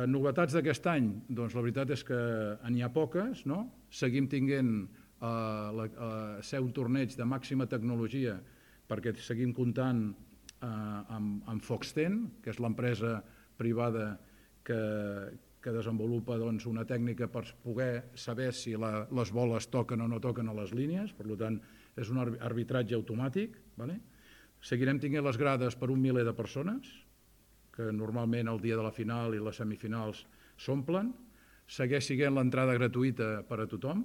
Novetats d'aquest any, doncs la veritat és que n'hi ha poques, no? Seguim tenint ser un torneig de màxima tecnologia perquè seguim comptant amb Foxten, que és l'empresa privada que desenvolupa una tècnica per poder saber si les boles toquen o no toquen a les línies, per tant és un arbitratge automàtic. Seguirem tenint les grades per 1 miler de persones, que normalment el dia de la final i les semifinals s'omplen. Segueix sent l'entrada gratuïta per a tothom,